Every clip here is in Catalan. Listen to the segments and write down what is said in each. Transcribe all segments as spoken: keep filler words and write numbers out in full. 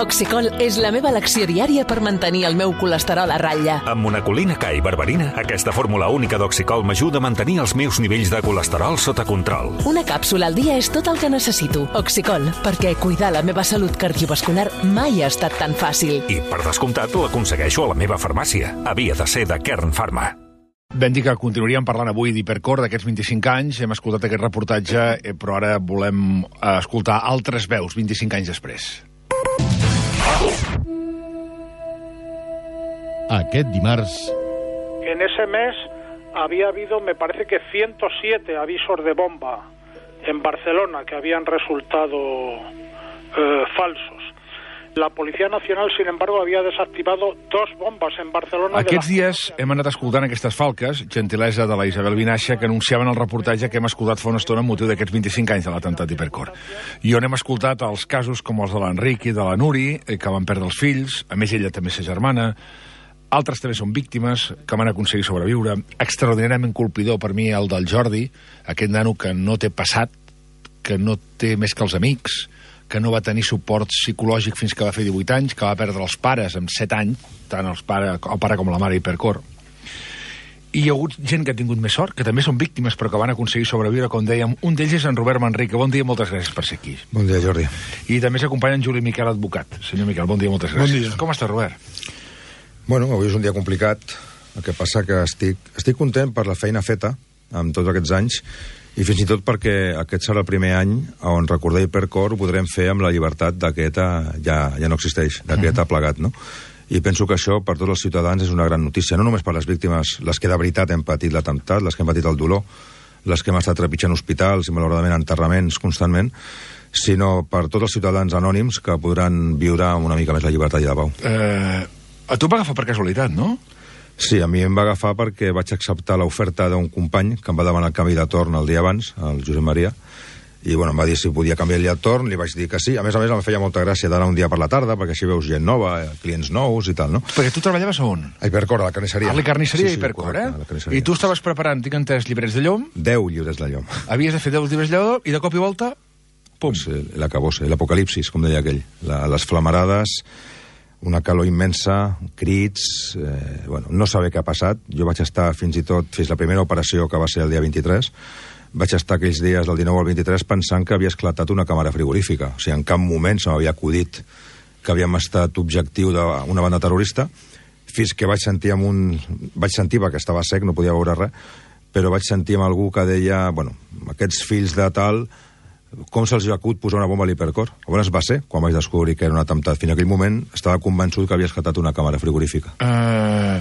Oxicol és la meva elecció diària per mantenir el meu colesterol a ratlla. Amb monacolina K i berberina, aquesta fórmula única d'Oxicol m'ajuda a mantenir els meus nivells de colesterol sota control. Una càpsula al dia és tot el que necessito. Oxicol, perquè cuidar la meva salut cardiovascular mai ha estat tan fàcil. I, per descomptat, l'aconsegueixo a la meva farmàcia. Havia de ser de Kern Pharma. Vam dir que continuaríem parlant avui d'Hipercor, d'aquests vint-i-cinc anys. Hem escoltat aquest reportatge, però ara volem escoltar altres veus, vint-i-cinc anys després. Aquest dimarts... En ese mes había habido, me parece que ciento siete avisos de bomba en Barcelona que habían resultado eh, falsos. La Policía Nacional, sin embargo, havia desactivado dos bombes en Barcelona... Aquests dies hem anat escoltant aquestes falques, gentilesa de la Isabel Vinaixa, que anunciaven el reportatge que hem escoltat fa una estona amb motiu d'aquests vint-i-cinc anys de l'atemptat d'Hipercor. I on hem escoltat els casos com els de l'Enric i de la Nuri, que van perdre els fills, a més ella també sa germana, altres també són víctimes, que van aconseguir sobreviure. Extraordinàriament colpidor per mi el del Jordi, aquest nano que no té passat, que no té més que els amics, que no va tenir suport psicològic fins que va fer divuit anys, que va perdre els pares amb set anys, tant els pare, el pare com la mare Hipercor. I hi ha hagut gent que ha tingut més sort, que també són víctimes, però que van aconseguir sobreviure, com dèiem. Un d'ells és en Robert Manrique. Bon dia, moltes gràcies per ser aquí. Bon dia, Jordi. I també s'acompanya en Juli Miquel, advocat. Senyor Miquel, bon dia, moltes gràcies. Bon dia. Com està, Robert? Bueno, avui és un dia complicat. El que passa que estic, estic content per la feina feta amb tots aquests anys, i fins i tot perquè aquest serà el primer any on recordar Hipercor ho podrem fer amb la llibertat d'aquest ja, ja no existeix, d'aquest ha plegat, no? I penso que això per tots els ciutadans és una gran notícia, no només per les víctimes, les que de veritat hem patit l'atemptat, les que hem patit el dolor, les que hem estat trepitjant hospitals i malauradament enterraments constantment, sinó per tots els ciutadans anònims que podran viure amb una mica més la llibertat i la pau. Eh, a tu va agafar per casualitat, no? Sí, a mi em va agafar perquè vaig acceptar l'oferta d'un company que em va demanar el canvi de torn el dia abans, el Josep Maria, i bueno, em va dir si podia canviar el dia de torn, li vaig dir que sí. A més a més, em feia molta gràcia d'anar un dia per la tarda, perquè així veus gent nova, clients nous i tal, no? Perquè tu treballaves on? A Hipercor, a la carnisseria. A la carnisseria sí, sí, Hipercor, correcte, eh? I tu estaves preparant, tinc entès, llibrets de llom? Deu llibres de llom. Havies de fer deu llibres de llom i de cop i volta, pum. Pues, eh, l'acabós, l'apocalipsis, com deia aquell. La, les flamarades, una calor immensa, crits... Eh, bueno, no saber què ha passat. Jo vaig estar fins i tot, fins la primera operació, que va ser el dia vint-i-tres, vaig estar aquells dies del dinou al vint-i-tres pensant que havia esclatat una càmera frigorífica. O sigui, en cap moment se m'havia acudit que havíem estat objectiu d'una banda terrorista, fins que vaig sentir amb un... Vaig sentir, perquè estava sec, no podia veure res, però vaig sentir amb algú que deia, bueno, aquests fills de tal... Com se'ls acut posar una bomba a l'Hipercor? On es va ser quan vaig descobrir que era un atemptat? Fins aquell moment estava convençut que havia esclatat una càmera frigorífica. Uh,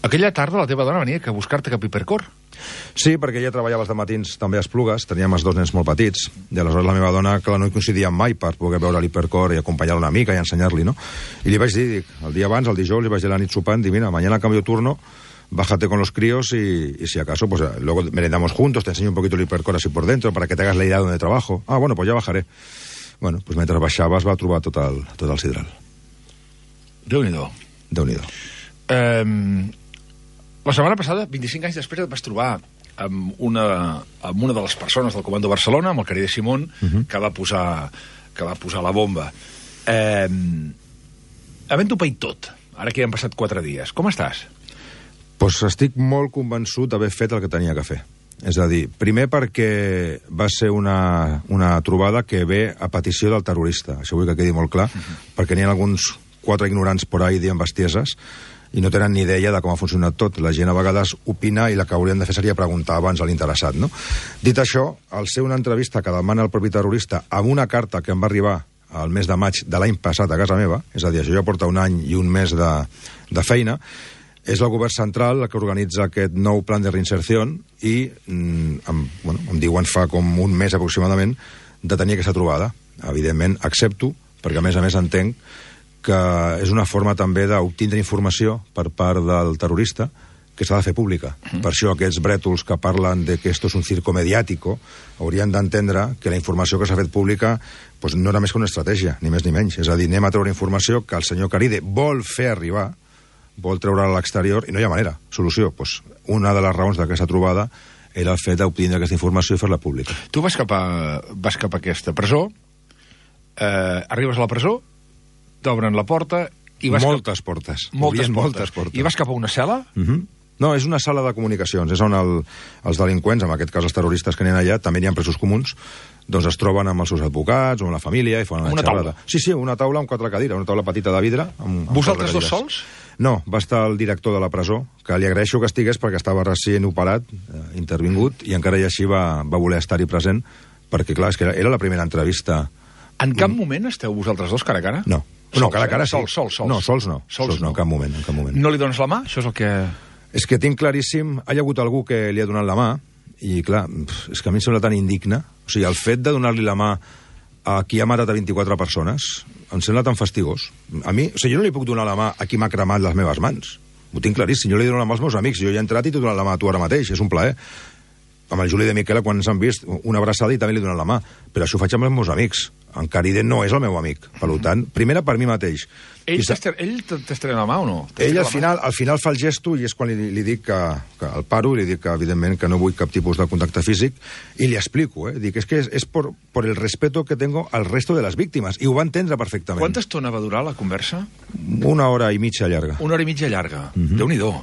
aquella tarda la teva dona venia a buscar-te cap Hipercor? Sí, perquè ella treballava els dematins també a Esplugues, teníem els dos nens molt petits, i aleshores la meva dona, clar, no hi coincidíem mai per poder veure l'Hipercor i acompanyar-la una mica i ensenyar-li, no? I li vaig dir, dic, el dia abans, el dijous, li vaig dir a la nit sopant, dic, mira, mañana cambio turno, bájate con los críos y, y si acaso, pues luego merendamos juntos, te enseño un poquito el Hipercor así por dentro para que te hagas la idea de donde trabajo. Ah, bueno, pues ya bajaré. Bueno, pues mentre baixava es va trobar tot el, tot el sidral. Déu-n'hi-do. Déu-n'hi-do. Um, la setmana passada, vint-i-cinc anys després, et vas trobar amb una, amb una de les persones del Comando Barcelona, amb el Cari de Simón, uh -huh. que, va posar, que va posar la bomba. Um, havent-ho paït tot, ara que ja han passat quatre dies, com estàs? Pues estic molt convençut d'haver fet el que tenia que fer. És a dir, primer perquè va ser una, una trobada que ve a petició del terrorista. Això vull que quedi molt clar, uh-huh. perquè n'hi ha alguns quatre ignorants por ahí dient bestieses i no tenen ni idea de com ha funcionat tot. La gent a vegades opina i la que haurien de fer seria preguntar abans a l'interessat, no? Dit això, al ser una entrevista que demana el propi terrorista amb una carta que em va arribar al mes de maig de l'any passat a casa meva, és a dir, això ja porta un any i un mes de, de feina, és el govern central el que organitza aquest nou plan de reinserció i mm, em, bueno, em diuen fa com un mes aproximadament de tenir aquesta trobada. Evidentment, accepto, perquè a més a més entenc que és una forma també d'obtindre informació per part del terrorista que s'ha de fer pública. Mm. Per això aquests brètols que parlen de que esto es un circo mediático haurien d'entendre que la informació que s'ha fet pública pues, no era més que una estratègia, ni més ni menys. És a dir, anem a treure informació que el senyor Caride vol fer arribar, vol treure a l'exterior, i no hi ha manera. Solució, doncs, una de les raons d'aquesta trobada era el fet d'obtenir aquesta informació i fer-la pública. Tu vas cap a, vas cap a aquesta presó, eh, arribes a la presó, t'obren la porta i vas... Moltes cap... portes. Moltes portes. moltes portes. I vas cap a una cel·la? Uh -huh. No, és una sala de comunicacions. És on el, els delinqüents, en aquest cas els terroristes que n'hi ha allà, també n'hi ha presos comuns, doncs es troben amb els seus advocats o amb la família i fan una, una xerrada. Taula. Sí, sí, una taula amb quatre cadires, una taula petita de vidre. Amb, amb Vosaltres dos sols? No, va estar el director de la presó, que li agraeixo que estigués perquè estava recient operat, eh, intervingut, i encara i així va, va voler estar-hi present, perquè, clar, és que era, era la primera entrevista. En cap moment esteu vosaltres dos cara a cara? No. Sols, no, cara a cara eh? sí. Sols, sols, sols. No, sols no. Sols, sols no, no, en cap moment, en cap moment. No li dones la mà? Això és el que... És que tinc claríssim... Hi ha hagut algú que li ha donat la mà, i, clar, és que a mi em sembla tan indigne. O sigui, el fet de donar-li la mà a qui ha matat a vint-i-quatre persones em sembla tan fastigós. A mi, o sigui, jo no li puc donar la mà a qui m'ha cremat les meves mans. Ho tinc claríssim. Jo li dono la mà als meus amics. Jo hi he entrat i t'he donat la mà a tu ara mateix. És un plaer. Amb el Juli de Miquela, quan ens han vist, una abraçada i també li he donat la mà. Però això ho faig amb els meus amics. En Caride no és el meu amic. Per tant, primera per mi mateix. Ell t'estrena la mà o no? Ell al final, al final fa el gesto i és quan li, li dic que, que el paro i li dic que, evidentment, que no vull cap tipus de contacte físic i li explico, eh? Dic, és que és, és por, por el respeto que tengo al resto de les víctimes. I ho va entendre perfectament. Quanta estona va durar la conversa? Una hora i mitja llarga. Una hora i mitja llarga. Mm-hmm. Déu-n'hi-do.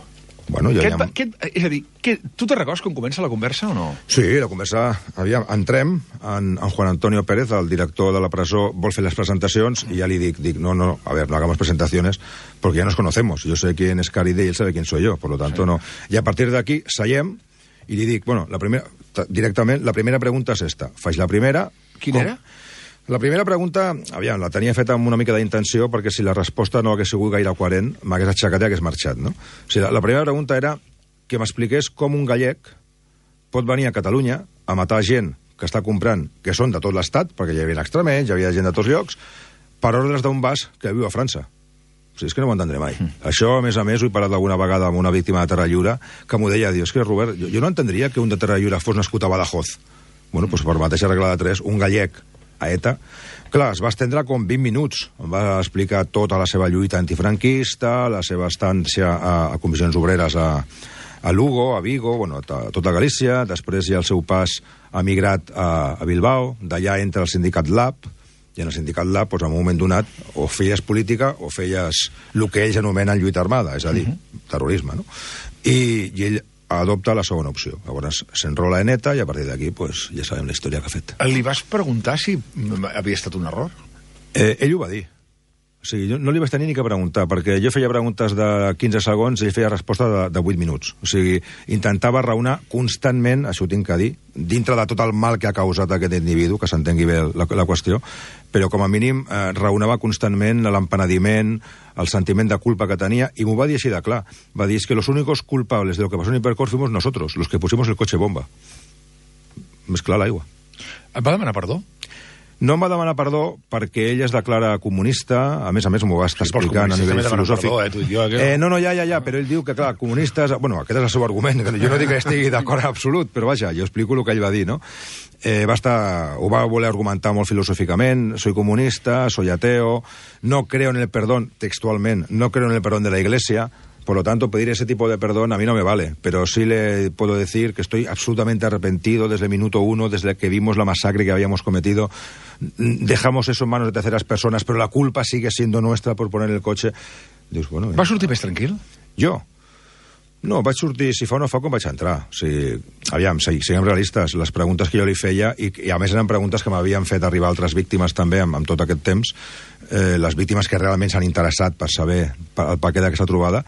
Bueno, ja Què, ha... què, és a dir, què, tu te'n recordes com comença la conversa o no? Sí, la conversa... Aviam, entrem, en, en Juan Antonio Pérez, el director de la presó, vol fer les presentacions i ja li dic, dic no, no, a ver, no hagamos presentaciones porque ya nos conocemos. Yo sé quién es Caride y él sabe quién soy yo, por lo tanto sí. No. Y a partir de aquí, seiem i li dic, bueno, la primera, directament, la primera pregunta és esta. Faig la primera... Quina era? La primera pregunta, aviam, la tenia feta amb una mica d'intenció perquè si la resposta no hagués sigut gaire coherent, m'hagués aixecat i hagués marxat, no? O sigui, la, la primera pregunta era que m'expliqués com un gallec pot venir a Catalunya a matar gent que està comprant, que són de tot l'estat, perquè hi havia extremenys, hi havia gent de tots llocs, per ordres d'un bas que viu a França. O sigui, és que no ho entendré mai. Mm. Això, a més a més, ho he parlat alguna vegada amb una víctima de Terrallura que m'ho deia, diu, és que, Robert, jo, jo no entendria que un de Terrallura fos nascut a Badajoz. Bueno, doncs per mateixa regla de tres, un gallec a ETA, clar, es va estendre com vint minuts. Em va explicar tota la seva lluita antifranquista, la seva estància a, a comissions obreres a, a Lugo, a Vigo, bueno, a tota Galícia, després ja el seu pas ha migrat a, a Bilbao, d'allà entra el sindicat Lab, i en el sindicat Lab, doncs, en un moment donat, o feies política o feies el que ells anomenen lluita armada, és a dir, uh-huh. terrorisme, no? I, i ell adopta la segona opció. Llavors s'enrola en ETA i a partir d'aquí pues, ja sabem la història que ha fet. Li vas preguntar si havia estat un error? Eh, ell ho va dir. O sigui, jo no li vaig tenir ni que preguntar, perquè jo feia preguntes de quinze segons i ell feia resposta de, de vuit minuts. O sigui, intentava raonar constantment, això ho tinc que dir, dintre de tot el mal que ha causat aquest individu, que s'entengui bé la, la qüestió, però com a mínim eh, raonava constantment l'empenediment, el sentiment de culpa que tenia, i m'ho va dir així de clar. Va dir, es que los únicos culpables de lo que pasó en Hipercor fuimos nosotros, los que pusimos el coche bomba. Més clar l'aigua. Et va demanar perdó? No em va demanar perdó perquè ell es declara comunista, a més a més m'ho va estar explicant a nivell filosòfic. Perdó, eh, tu i jo, eh, no, no, ja, ja, ja, però ell diu que, clar, comunistes... Bueno, aquest és el seu argument, que jo no dic que estigui d'acord en absolut, però vaja, jo explico el que ell va dir, no? Eh, va estar, ho va voler argumentar molt filosòficament, soy comunista, soy ateo, no creo en el perdón, textualment, no creo en el perdón de la Iglesia. Por lo tanto, pedir ese tipo de perdón a mí no me vale, pero sí le puedo decir que estoy absolutamente arrepentido desde el minuto uno, desde que vimos la masacre que habíamos cometido. Dejamos eso en manos de terceras personas, pero la culpa sigue siendo nuestra por poner el coche. Dius, bueno, va sortir més tranquil? Jo? No, vaig sortir, si fa o no fa, com vaig entrar. O sigui, aviam, sí, siguem realistes. Les preguntes que jo li feia, i, i a més eren preguntes que m'havien fet arribar altres víctimes també amb, amb tot aquest temps, eh, les víctimes que realment s'han interessat per saber el paquet d'aquesta trobada.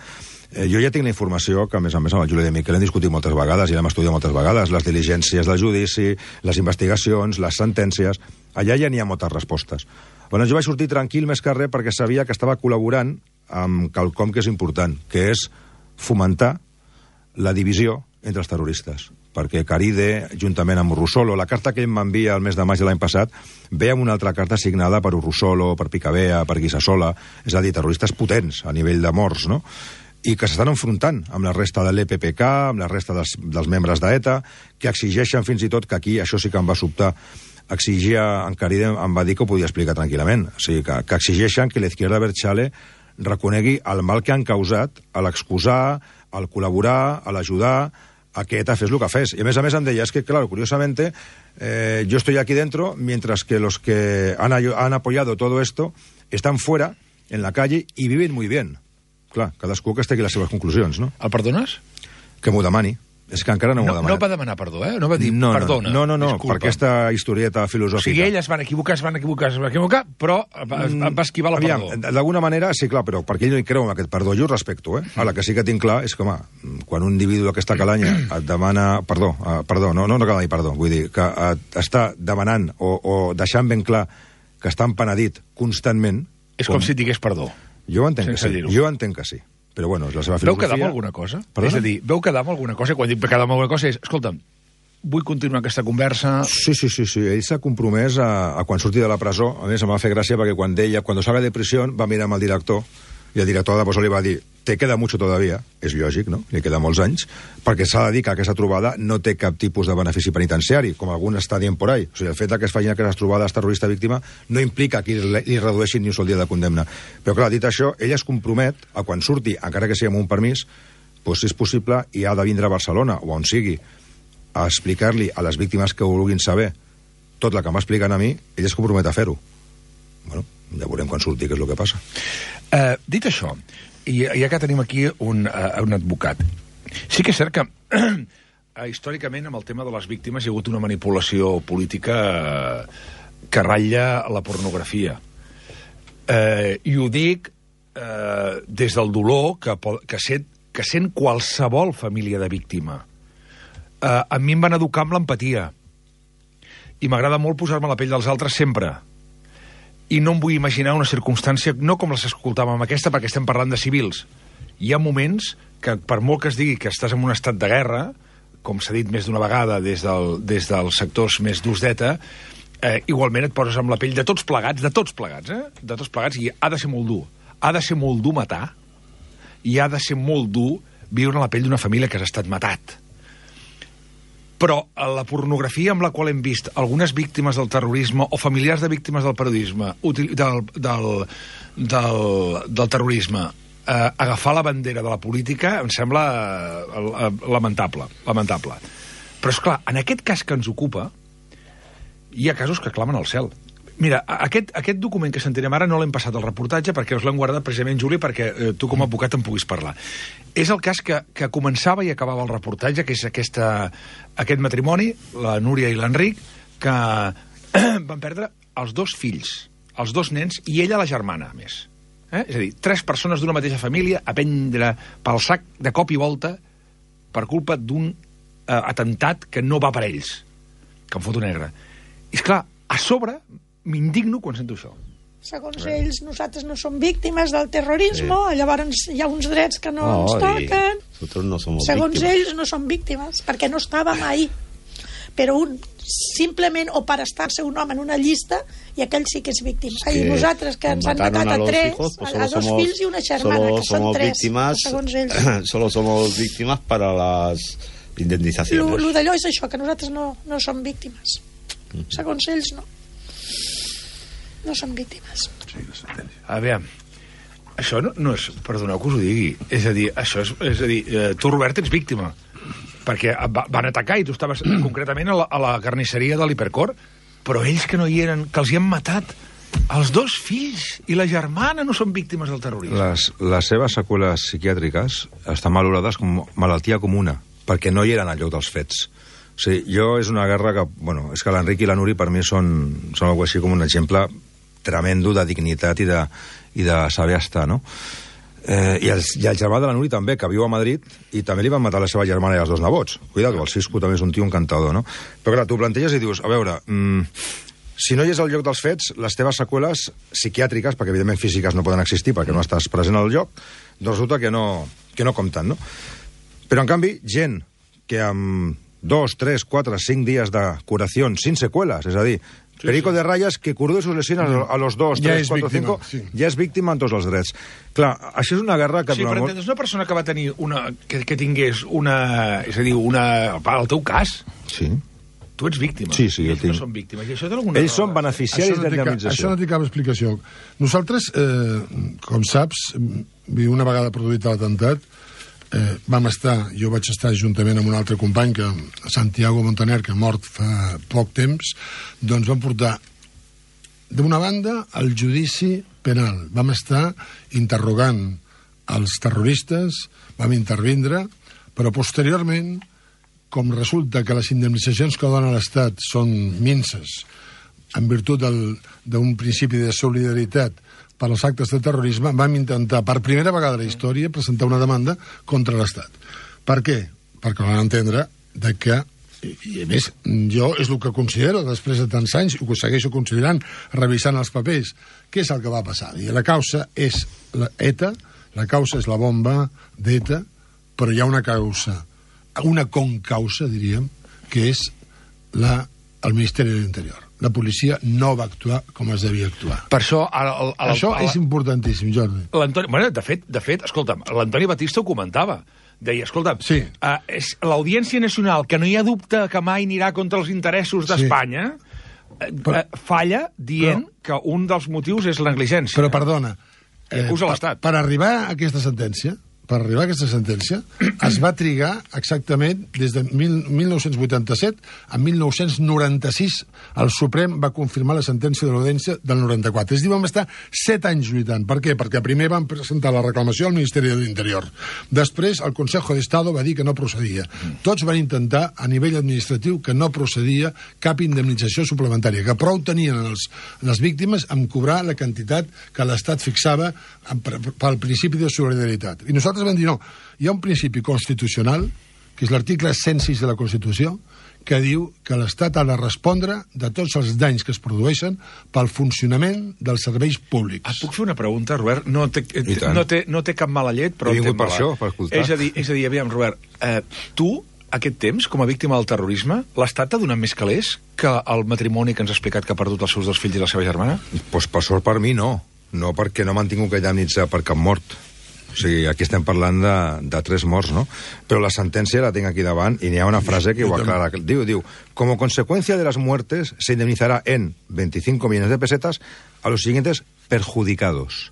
Eh, jo ja tinc la informació que, a més a més, amb el Juli de Miquel hem discutit moltes vegades i l'hem estudiat moltes vegades, les diligències del judici, les investigacions, les sentències... Allà ja n'hi ha moltes respostes. Llavors jo vaig sortir tranquil més que res perquè sabia que estava col·laborant amb quelcom que és important, que és fomentar la divisió entre els terroristes. Perquè Caride, juntament amb Urrusolo, la carta que ell m'envia el mes de maig de l'any passat, ve amb una altra carta signada per Urrusolo, per Picabea, per Guisassola, és a dir, terroristes potents a nivell de morts, no?, i que s'estan enfrontant amb la resta de l'E P P K, amb la resta dels, dels membres d'ETA, que exigeixen fins i tot, que aquí això sí que em va sobtar, exigia, en Caride em va dir que ho podia explicar tranquil·lament, o sigui, que, que exigeixen que l'Izquierda Abertzale reconegui el mal que han causat a l'excusar, al col·laborar, a l'ajudar, a que ETA fes el que fes. I a més a més em deia, es que, claro, curiosamente, eh, yo estoy aquí dentro, mientras que los que han, han apoyado todo esto están fuera en la calle y viven muy bien. Clar, cadascú que estigui les seves conclusions, no? El perdones? Que m'ho demani. És que encara no m'ho No, demana. no va demanar perdó, eh? No va dir no, perdona. No, no, no, disculpa. per aquesta historieta filosòfica. O sigui, ell es van equivocar, es van equivocar, es van equivocar, però va, va esquivar la Aviam, perdó. d'alguna manera, sí, clar, però perquè ell no hi creu en aquest perdó, jo ho respecto, eh? Ara, que sí que tinc clar és que, home, quan un individu d'aquesta calanya et demana... Perdó, uh, perdó, no, no, no cal dir perdó, vull dir que et està demanant o, o deixant ben clar que està empenedit constantment... És com, com si et digués perdó. Jo entenc que Sense sí, dir-ho. jo entenc que sí. Però bueno, és la seva Veu filosofia... quedar amb alguna cosa? Perdona? És a dir, veu quedar amb alguna cosa? Quan dic quedar amb alguna cosa és, escolta'm, vull continuar aquesta conversa... Sí, sí, sí, sí. Ell s'ha compromès a, a quan surti de la presó. A més, em va fer gràcia perquè quan deia, quan salga de prisió, va mirar amb el director, i el director de presó li va dir, te queda mucho todavía, és lògic, no? Li queda molts anys, perquè s'ha de dir que aquesta trobada no té cap tipus de benefici penitenciari, com algun està dient por ahí. O sigui, el fet que es facin aquestes trobades terrorista-víctima no implica que li, li redueixin ni un sol dia de condemna. Però, clar, dit això, ell es compromet a quan surti, encara que sigui amb un permís, doncs, si és possible, i ha de vindre a Barcelona, o on sigui, a explicar-li a les víctimes que ho vulguin saber tot el que m'expliquen a mi, ell es compromet a fer-ho. Bueno, ja veurem quan surti què és el que passa. Uh, dit això, i ja que tenim aquí un, uh, un advocat, sí que és cert que uh, històricament amb el tema de les víctimes hi ha hagut una manipulació política uh, que ratlla la pornografia. Uh, I ho dic uh, des del dolor que, que, sent, que sent qualsevol família de víctima. Uh, a mi em van educar amb l'empatia i m'agrada molt posar-me a la pell dels altres sempre. I no em vull imaginar una circumstància, no com les escoltàvem aquesta, perquè estem parlant de civils. Hi ha moments que, per molt que es digui que estàs en un estat de guerra, com s'ha dit més d'una vegada des, del, des dels sectors més durs d'ETA, eh, igualment et poses amb la pell de tots plegats, de tots plegats, eh? De tots plegats, i ha de ser molt dur. Ha de ser molt dur matar, i ha de ser molt dur viure en la pell d'una família que has estat matat. Però la pornografia amb la qual hem vist algunes víctimes del terrorisme o familiars de víctimes del periodisme, del, del, del, del terrorisme, eh, agafar la bandera de la política em sembla eh, lamentable, lamentable. Però, és clar, en aquest cas que ens ocupa, hi ha casos que clamen al cel. Mira, aquest, aquest document que sentirem ara no l'hem passat al reportatge perquè us l'hem guardat precisament, Juli, perquè eh, tu com a advocat en puguis parlar. És el cas que, que començava i acabava el reportatge, que és aquesta, aquest matrimoni, la Núria i l'Enric, que van perdre els dos fills, els dos nens, i ella la germana, a més. Eh? És a dir, tres persones d'una mateixa família a prendre pel sac de cop i volta per culpa d'un eh, atemptat que no va per ells, que em foto negre. I, esclar, a sobre m'indigno quan sento això. Segons ells, nosaltres no som víctimes del terrorisme, sí. Llavors hi ha uns drets que no, no ens toquen. No Segons víctimes. ells no som víctimes, perquè no estàvem ahí. Però un, simplement, o per estar-se un home en una llista, i aquell sí que és víctima. I nosaltres, que ens han matat a, a tres, hijos, pues a, a dos somos, fills i una germana, que són tres, víctimas, segons ells. Solo somos víctimas para las indemnizaciones. Lo, lo d'allò és això, que nosaltres no, no som víctimes. Segons ells, no. No són víctimes. Sí, a veure, això no, no és... Perdoneu que us ho digui. És a dir, això és, és a dir, eh, tu, Robert, ets víctima. Perquè va, van atacar i tu estaves concretament a la, a la carnisseria de l'Hipercor, però ells que no hi eren, que els hi han matat, els dos fills i la germana no són víctimes del terrorisme. Les, les seves seqüeles psiquiàtriques estan valorades com malaltia comuna, perquè no hi eren al lloc dels fets. O sigui, jo és una guerra que... Bueno, és que l'Enric i la Núria per mi són, són algo així com un exemple tremendo de dignitat i de, i de saber estar, no? Eh, i, el, I el germà de la Núria també, que viu a Madrid, i també li van matar la seva germana i els dos nebots. Cuidado, el Cisco també és un tio encantador, no? Però clar, tu planteges i dius, a veure, mmm, si no hi és al lloc dels fets, les teves seqüeles psiquiàtriques, perquè evidentment físiques no poden existir perquè no estàs present al lloc, doncs resulta que no, que no compten, no? Però en canvi, gent que amb dos, tres, quatre, cinc dies de curació sin seqüeles, és a dir, sí, Perico sí. de Rayas que curó sus lesiones a los dos, ja tres, quatre, cinc, sí. ja és víctima en tots els drets. Clar, això és una guerra que... Sí, però molt... entens, una persona que va tenir una... que, que tingués una... és a dir, una... el teu cas... Sí. Tu ets víctima. Sí, sí, jo ells tinc... no són víctimes. I això té alguna Ells són beneficiaris d'indemnització. Això no té cap explicació. Nosaltres, eh, com saps, una vegada produït l'atemptat, eh, vam estar, jo vaig estar juntament amb un altre company, que Santiago Montaner, que ha mort fa poc temps, doncs vam portar d'una banda, el judici penal. Vam estar interrogant els terroristes, vam intervindre, però posteriorment, com resulta que les indemnitzacions que dona l'Estat són minces, en virtut d'un principi de solidaritat per als actes de terrorisme, vam intentar, per primera vegada a la història, presentar una demanda contra l'Estat. Per què? Perquè van entendre de que, i a més, jo és el que considero, després de tants anys, i ho segueixo considerant, revisant els papers, què és el que va passar? I la causa és la ETA, la causa és la bomba d'ETA, però hi ha una causa, una concausa, diríem, que és la, el Ministeri de l'Interior. La policia no va actuar com es devia actuar. Per això... El, el, el, això el, és importantíssim, Jordi. L'Antoni... Bueno, de fet, de fet, escolta'm, l'Antoni Batista ho comentava. Deia, escolta'm, sí. uh, és l'Audiència Nacional, que no hi ha dubte que mai anirà contra els interessos d'Espanya, sí. uh, falla dient però, que un dels motius és la negligència. Però, perdona, eh, acusa l'Estat. Per arribar a aquesta sentència, per arribar a aquesta sentència, es va trigar exactament des de mil nou-cents vuitanta-set a mil nou-cents noranta-sis. El Suprem va confirmar la sentència de l'Audiència del noranta-quatre. És a dir, vam estar set anys lluitant. Per què? Perquè primer van presentar la reclamació al Ministeri de l'Interior. Després, el Consejo de Estado va dir que no procedia. Tots van intentar, a nivell administratiu, que no procedia cap indemnització suplementària, que prou tenien els, les víctimes amb cobrar la quantitat que l'Estat fixava pel principi de solidaritat. I nosaltres vam dir, no, hi ha un principi constitucional, que és l'article cent sis de la Constitució, que diu que l'Estat ha de respondre de tots els danys que es produeixen pel funcionament dels serveis públics. Et puc fer una pregunta, Robert? No té, no té, no té cap mala llet, però... He vingut per això, per escoltar. És a dir, és a dir aviam, Robert, eh, tu, aquest temps, com a víctima del terrorisme, l'Estat t'ha donat més calés que el matrimoni que ens ha explicat que ha perdut els seus dos fills i la seva germana? Pues per sort per mi no. No perquè no m'han tingut que indemnitzar per cap mort. O sigui, aquí estem parlant de, de tres morts, ¿no? Però la sentència la tinc aquí davant i n'hi ha una frase que ho aclara. Diu, diu, como consecuencia de las muertes se indemnizará en veinticinco millones de pesetas a los siguientes perjudicados.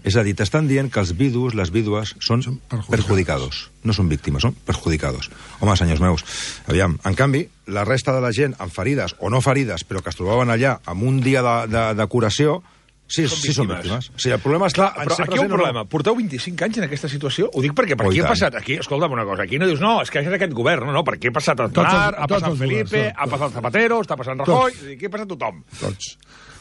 És a dir, t'estan dient que els vidus, les vídues, són, són perjudicados. perjudicados. No són víctimes, són perjudicados. Home, senyors meus, aviam, en canvi, la resta de la gent amb ferides o no ferides, però que es trobaven allà amb un dia de, de, de curació, sí, són sí són víctimes. O sigui, el problema està... Clar, però aquí hi ha un problema. No... Porteu vint-i-cinc anys en aquesta situació? Ho dic perquè per aquí ha passat... Aquí, escolta'm una cosa, aquí no dius, no, és que és aquest govern, no, no, perquè ha passat Aznar, ha passat Felipe, ha passat Zapatero, està passant Rajoy, aquí ha passat tothom. Tots.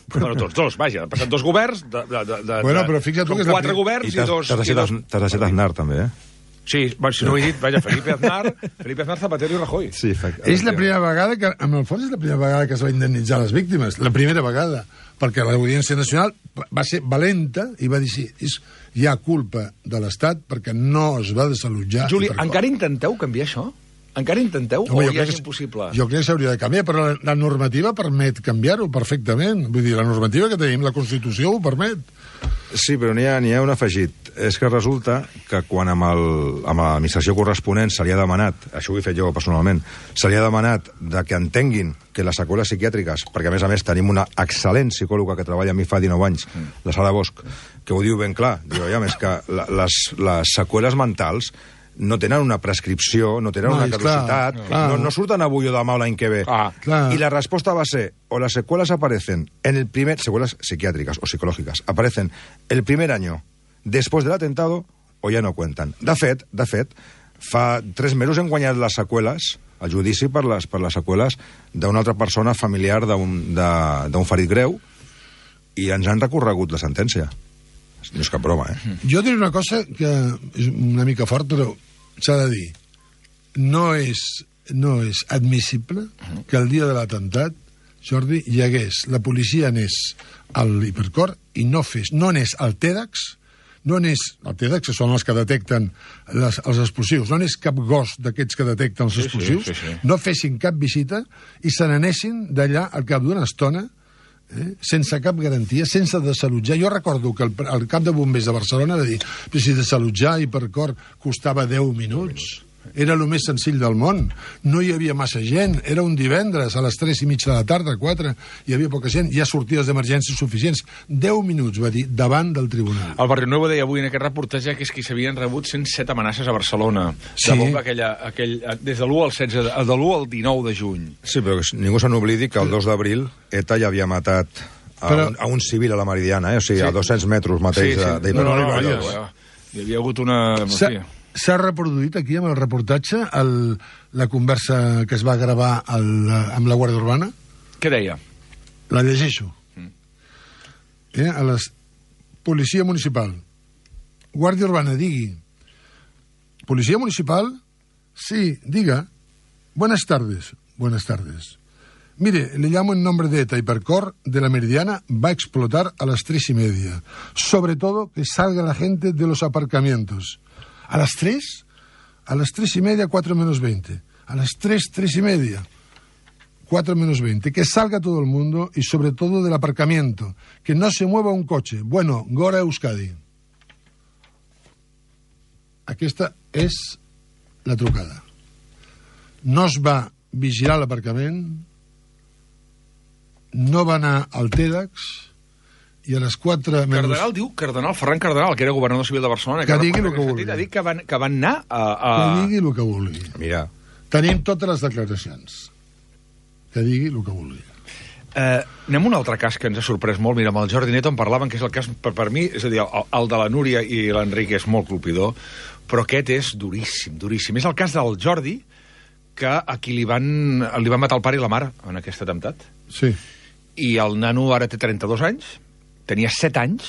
Bueno, tots dos, vaja, han passat dos governs, de, de, de, de, bueno, però fixa't tu que és quatre la... governs i, i dos... T'has de ser Aznar, també, eh? Sí, bueno, si no ho he dit, vaja, Felipe Aznar, Felipe Aznar, Zapatero i Rajoy. Sí, és la primera vegada que, en el fons, és la primera vegada que es va indemnitzar les víctimes. La primera vegada. Perquè l'Audiència Nacional va ser valenta i va dir, sí, és, hi ha culpa de l'Estat perquè no es va desallotjar... Juli, encara intenteu canviar això? Encara intenteu no, o ja és impossible? Jo crec que s'hauria de canviar, però la, la normativa permet canviar-ho perfectament. Vull dir, la normativa que tenim, la Constitució ho permet. Sí, però n'hi ha, n'hi ha un afegit. És que resulta que quan amb el, amb l'administració corresponent se li ha demanat, això ho he fet jo personalment, se li ha demanat de que entenguin que les seqüeles psiquiàtriques, perquè a més a més tenim una excel·lent psicòloga que treballa amb mi fa dinou anys, mm. la Sara Bosch, que ho diu ben clar, diu, ja, més que la, les, les seqüeles mentals no tenen una prescripció, no tenen no, una caducitat, clar, no, no surten avui o demà o l'any que ve. Ah, y la respuesta va a ser, o las secuelas aparecen en el primer, secuelas psiquiátricas o psicológicas, aparecen el primer año después del atentado o ja no cuentan. De fet, de fet, fa tres mesos hem guanyat les seqüeles, el judici per les, per les seqüeles d'una altra persona familiar d'un ferit greu i ens han recorregut la sentència. No és cap broma, eh? Jo diré una cosa que és una mica fort, però s'ha de dir. No és, no és admissible que el dia de l'atemptat, Jordi, hi hagués, la policia anés al Hipercor i no fes, no anés al TEDx, no anés, el TEDx són els que detecten les, els explosius, no anés cap gos d'aquests que detecten els explosius, sí, sí, sí, sí. No fessin cap visita i se n'anessin d'allà al cap d'una estona, eh, sense cap garantia, sense desallotjar. Jo recordo que el, el cap de bombers de Barcelona va dir que si desallotjar Hipercor costava deu minuts. Era el més senzill del món. No hi havia massa gent. Era un divendres a les tres i mitja de la tarda, quatre. Hi havia poca gent. Hi ha sortides d'emergència suficients. Deu minuts, va dir, davant del tribunal. El Barrio Nuevo deia avui en aquest reportatge que és que s'havien rebut cent set amenaces a Barcelona. Sí. De bomba aquella, aquell, des de l'u al setze, de l'u al dinou de juny. Sí, però ningú se n'oblidi que el dos d'abril ETA ja havia matat a, Però... un, a un civil a la Meridiana, eh? O sigui, sí. a dos-cents metres mateix sí, sí. de... No, no, no, no, no, hi havia hagut una... S'ha reproduït aquí, amb el reportatge, el, la conversa que es va gravar el, amb la Guàrdia Urbana? Què deia? La llegeixo. Mm. Eh, a la Policia Municipal. Guàrdia Urbana, digui. Policía Municipal, sí, diga. Buenas tardes, buenas tardes. Mire, le llamo en nombre de ETA. Hipercor de la Meridiana va a explotar a las tres y media. Sobre todo que salga la gente de los aparcamientos. ¿A las tres? A las tres y media, cuatro menos veinte. A las tres, tres y media, cuatro menos veinte. Que salga todo el mundo y sobre todo del aparcamiento. Que no se mueva un coche. Bueno, Gora Euskadi. Aquesta és la trucada. No es va vigilar l'aparcament, no va anar al TEDx, i a les quatre... Cardenal diu, Cardenal, Ferran Cardenal, que era governador civil de Barcelona, que, que digui el que vulgui. Ha dit que van, que van anar a, a... Que digui el que vulgui. Mira. Tenim totes les declaracions. Que digui el que vulgui. Uh, anem a un altre cas que ens ha sorprès molt. Mira, amb el Jordi Neto en parlaven, que és el cas, per, per mi, és a dir, el, el de la Núria i l'Enric és molt colpidor, però aquest és duríssim, duríssim. És el cas del Jordi, que a qui li van, li van matar el pare i la mare en aquest atemptat. Sí. I el nano ara té trenta-dos anys, tenia set anys,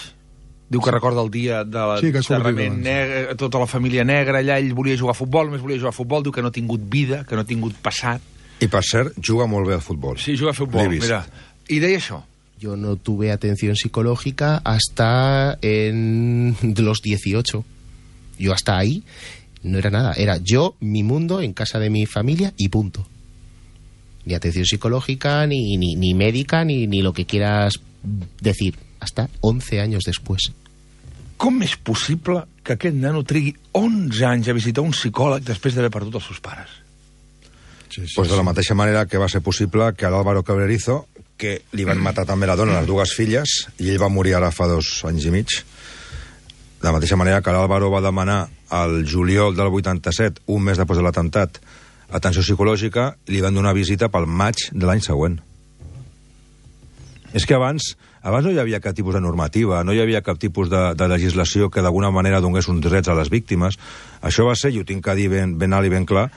diu que recorda el dia de l'enterrament, sí, tota la família negra allà, ell volia jugar a futbol, només volia jugar a futbol, diu que no ha tingut vida, que no ha tingut passat. I, per cert, juga molt bé al futbol. Sí, juga a futbol, mira. I deia això. Yo no tuve atención psicológica hasta en los dieciocho. Yo hasta ahí no era nada. Era yo, mi mundo, en casa de mi familia y punto. Ni atención psicológica, ni, ni, ni médica, ni, ni lo que quieras decir. Hasta once años después. Com és possible que aquest nano trigui onze anys a visitar un psicòleg després d'haver perdut els seus pares? Sí, sí, pues de la mateixa manera que va ser possible que a l'Álvaro Cabrerizo, que li van matar també la dona, les dues filles, i ell va morir ara fa dos anys i mig. De la mateixa manera que l'Álvaro va demanar al juliol del vuitanta-set, un mes després de l'atemptat, atenció psicològica, i li van donar visita pel maig de l'any següent. És que abans, abans no hi havia cap tipus de normativa, no hi havia cap tipus de, de legislació que d'alguna manera donés uns drets a les víctimes. Això va ser, i ho tinc que dir ben, ben alt i ben clar,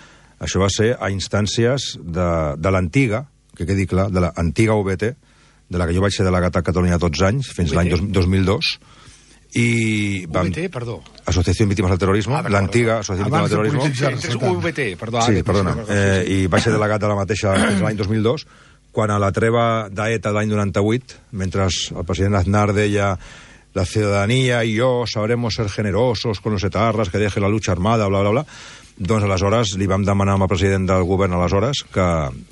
això va ser a instàncies de, de l'antiga, que quedi clar, de l'antiga U B T, de la que jo vaig ser delegat a Catalunya tots anys, fins l'any dos mil dos, i... Vam... U B T, perdó. Associació Víctimes del Terrorisme, ah, l'antiga Associació Víctimes del Terrorisme. U B T, perdó. Sí, perdona. Eh, I vaig ser delegat de la mateixa fins l'any dos mil dos, quan a la treva d'ETA de l'any noranta-vuit, mentre el president Aznar deia la ciudadanía y yo sabremos ser generosos con los etarras, que deje la lucha armada, bla, bla, bla, doncs aleshores li vam demanar al president del govern aleshores que,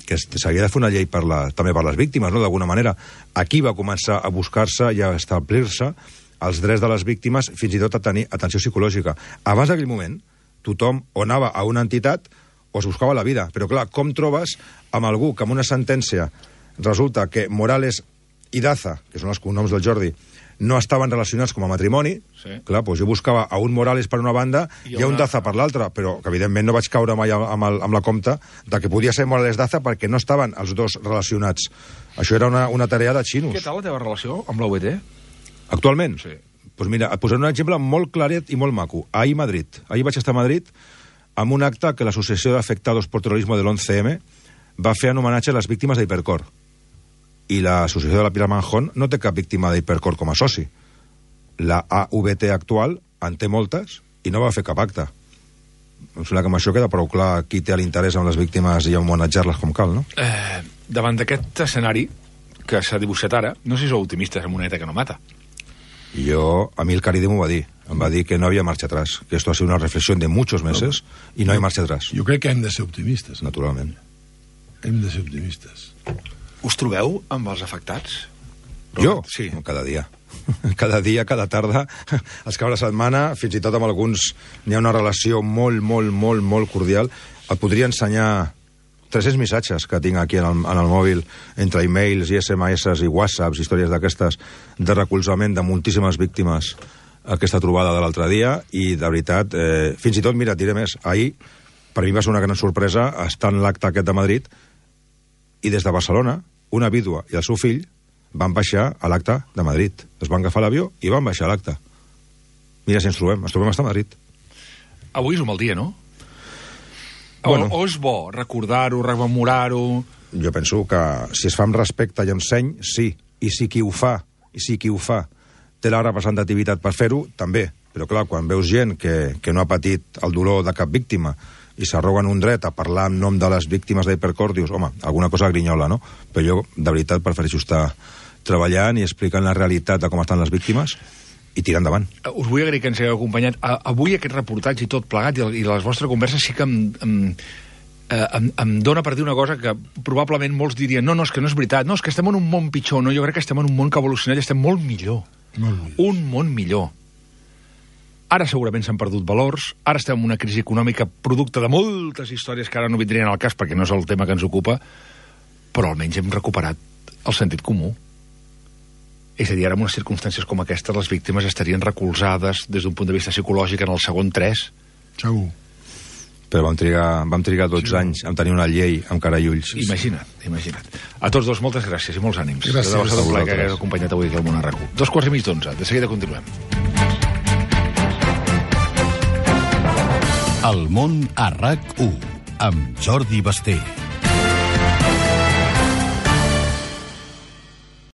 que s'havia de fer una llei per la, també per les víctimes, no? D'alguna manera. Aquí va començar a buscar-se i a establir-se els drets de les víctimes, fins i tot a tenir atenció psicològica. Abans d'aquell moment, tothom o anava a una entitat o es buscava la vida. Però clar, com trobes amb algú que amb una sentència resulta que Morales i Daza, que són els cognoms del Jordi, no estaven relacionats com a matrimoni, sí. Clar, doncs jo buscava a un Morales per una banda i, i a un una... Daza per l'altra, però que evidentment no vaig caure mai amb, el, amb la compte de que podia ser Morales-Daza perquè no estaven els dos relacionats. Això era una, una tarea de xinos. Què tal la teva relació amb la U B T? Actualment? Sí. Doncs mira, et posaré un exemple molt claret i molt maco. Ahir a Madrid. Ahir vaig estar a Madrid amb un acte que l'Associació d'Afectados por Terrorismo de l'once eme va fer en homenatge a les víctimes d'Hipercor. I l'associació de la Pilar Manjón no té cap víctima d'Hipercor com a soci. La A V T actual en té moltes i no va fer cap acte. Em sembla que amb això queda prou clar qui té l'interès en les víctimes i homenatjar-les com cal, no? Eh, davant d'aquest escenari que s'ha dibuixat ara, no sé si sou optimistes amb una ETA que no mata. Jo, a mi el Caride m'ho va dir. Em va dir que no havia marxa atrás, que esto ha sido una reflexión de muchos meses no, i no hi ha marxa atrás. Jo crec que hem de ser optimistes. Naturalment. Hem de ser optimistes. Us trobeu amb els afectats? Jo? Sí. Cada dia. Cada dia, cada tarda, els caps de setmana, fins i tot amb alguns n'hi ha una relació molt, molt, molt, molt cordial. Et podria ensenyar tres-cents missatges que tinc aquí en el, en el mòbil, entre e-mails i esse eme esse i whatsapps, històries d'aquestes, de recolzament de moltíssimes víctimes aquesta trobada de l'altre dia, i de veritat, eh, fins i tot, mira, et diré més, ahir, per mi va ser una gran sorpresa estar en l'acte aquest de Madrid, i des de Barcelona, una vídua i el seu fill van baixar a l'acte de Madrid. Es van agafar l'avió i van baixar a l'acte. Mira si ens trobem, ens trobem a Madrid. Avui és un mal dia, no? Bueno. O, o és bo recordar-ho, rememorar-ho... Jo penso que si es fa amb respecte i amb seny, sí. I si qui ho fa, i si qui ho fa té la representativitat per fer-ho, també. Però clar, quan veus gent que, que no ha patit el dolor de cap víctima i s'arroguen un dret a parlar en nom de les víctimes d'Hypercore, dius, home, alguna cosa grinyola, no? Però jo, de veritat, prefereixo estar treballant i explicant la realitat de com estan les víctimes i tirar endavant. Us vull agrair que ens hagueu acompanyat. Avui aquest reportatge i tot plegat, i les vostres converses sí que em, em, em, em dona per dir una cosa que probablement molts dirien, no, no, és que no és veritat, no, és que estem en un món pitjor, no, jo crec que estem en un món que ha evolucionat i estem molt millor. Molt millor. Un món millor. Ara segurament s'han perdut valors, ara estem en una crisi econòmica producte de moltes històries que ara no vindrien al cas perquè no és el tema que ens ocupa, però almenys hem recuperat el sentit comú. És a dir, ara en unes circumstàncies com aquestes les víctimes estarien recolzades des d'un punt de vista psicològic en el segon tres. Segur. Però vam trigar, vam trigar dotze sí. anys en tenir una llei amb cara i ulls. Imagina't, imagina't. A tots dos, moltes gràcies i molts ànims. Gràcies. De un plaer que hagués acompanyat avui aquí al Món a RAC u. Dos quarts i mig d'onze. De seguida continuem. El Món a RAC u amb Jordi Basté.